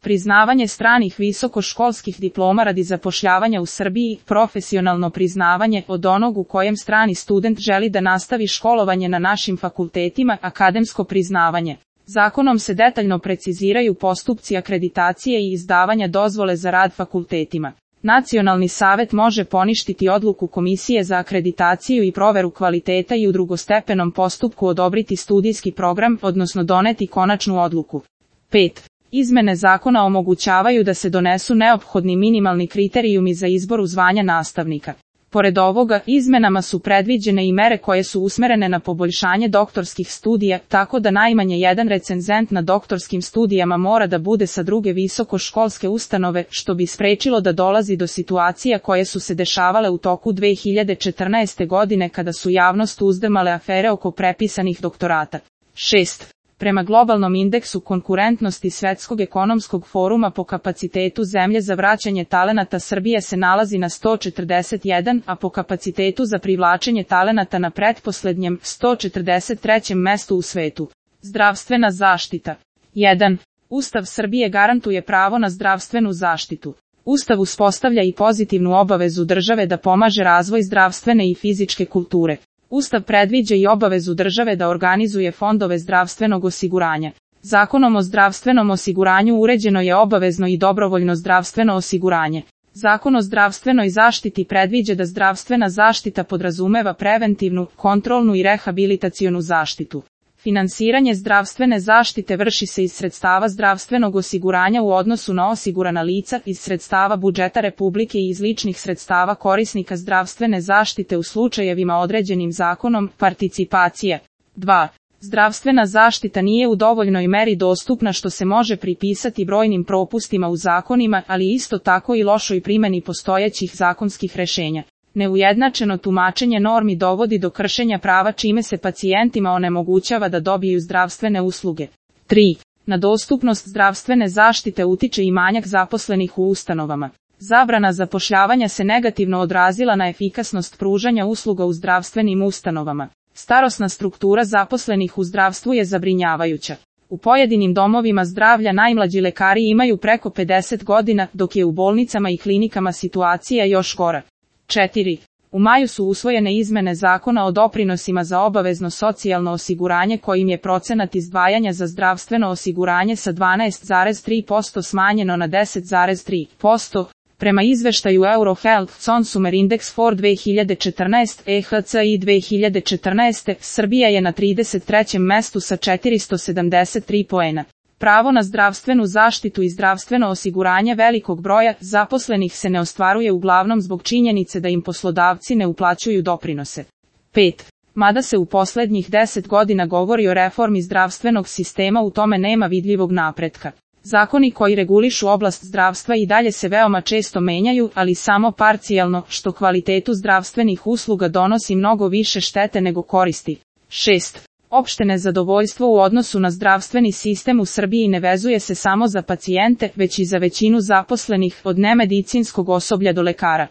priznavanje stranih visokoškolskih diploma radi zapošljavanja u Srbiji, profesionalno priznavanje od onog u kojem strani student želi da nastavi školovanje na našim fakultetima, akademsko priznavanje. Zakonom se detaljno preciziraju postupci akreditacije i izdavanja dozvole za rad fakultetima. Nacionalni savet može poništiti odluku Komisije za akreditaciju i proveru kvaliteta i u drugostepenom postupku odobriti studijski program, odnosno doneti konačnu odluku. 5. Izmene zakona omogućavaju da se donesu neophodni minimalni kriterijumi za izbor u zvanja nastavnika. Pored ovoga, izmenama su predviđene i mere koje su usmerene na poboljšanje doktorskih studija, tako da najmanje jedan recenzent na doktorskim studijama mora da bude sa druge visokoškolske ustanove, što bi sprečilo da dolazi do situacija koje su se dešavale u toku 2014. godine kada su javnost uzdrmale afere oko prepisanih doktorata. 6. Prema globalnom indeksu konkurentnosti Svetskog ekonomskog foruma po kapacitetu zemlje za vraćanje talenata Srbija se nalazi na 141, a po kapacitetu za privlačenje talenata na pretposlednjem 143. mestu u svetu. Zdravstvena zaštita. 1. Ustav Srbije garantuje pravo na zdravstvenu zaštitu. Ustav uspostavlja i pozitivnu obavezu države da pomaže razvoj zdravstvene i fizičke kulture. Ustav predviđa i obavezu države da organizuje fondove zdravstvenog osiguranja. Zakonom o zdravstvenom osiguranju uređeno je obavezno i dobrovoljno zdravstveno osiguranje. Zakon o zdravstvenoj zaštiti predviđa da zdravstvena zaštita podrazumeva preventivnu, kontrolnu i rehabilitacionu zaštitu. Finansiranje zdravstvene zaštite vrši se iz sredstava zdravstvenog osiguranja u odnosu na osigurana lica, iz sredstava budžeta Republike i iz ličnih sredstava korisnika zdravstvene zaštite u slučajevima određenim zakonom, participacija. 2. Zdravstvena zaštita nije u dovoljnoj meri dostupna što se može pripisati brojnim propustima u zakonima, ali isto tako i lošoj primjeni postojećih zakonskih rešenja. Neujednačeno tumačenje normi dovodi do kršenja prava čime se pacijentima onemogućava da dobiju zdravstvene usluge. 3. Na dostupnost zdravstvene zaštite utiče i manjak zaposlenih u ustanovama. Zabrana zapošljavanja se negativno odrazila na efikasnost pružanja usluga u zdravstvenim ustanovama. Starosna struktura zaposlenih u zdravstvu je zabrinjavajuća. U pojedinim domovima zdravlja najmlađi lekari imaju preko 50 godina, dok je u bolnicama i klinikama situacija još gora. 4. U maju su usvojene izmene Zakona o doprinosima za obavezno socijalno osiguranje kojim je procenat izdvajanja za zdravstveno osiguranje sa 12,3% smanjeno na 10,3%. Prema izveštaju Eurohealth Consumer Index for 2014 EHCI 2014, Srbija je na 33. mestu sa 473 poena. Pravo na zdravstvenu zaštitu i zdravstveno osiguranje velikog broja zaposlenih se ne ostvaruje uglavnom zbog činjenice da im poslodavci ne uplaćuju doprinose. 5. Mada se u poslednjih 10 godina govori o reformi zdravstvenog sistema, u tome nema vidljivog napretka. Zakoni koji regulišu oblast zdravstva i dalje se veoma često menjaju, ali samo parcijalno, što kvalitetu zdravstvenih usluga donosi mnogo više štete nego koristi. 6. Opšte nezadovoljstvo u odnosu na zdravstveni sistem u Srbiji ne vezuje se samo za pacijente, već i za većinu zaposlenih, od nemedicinskog osoblja do lekara.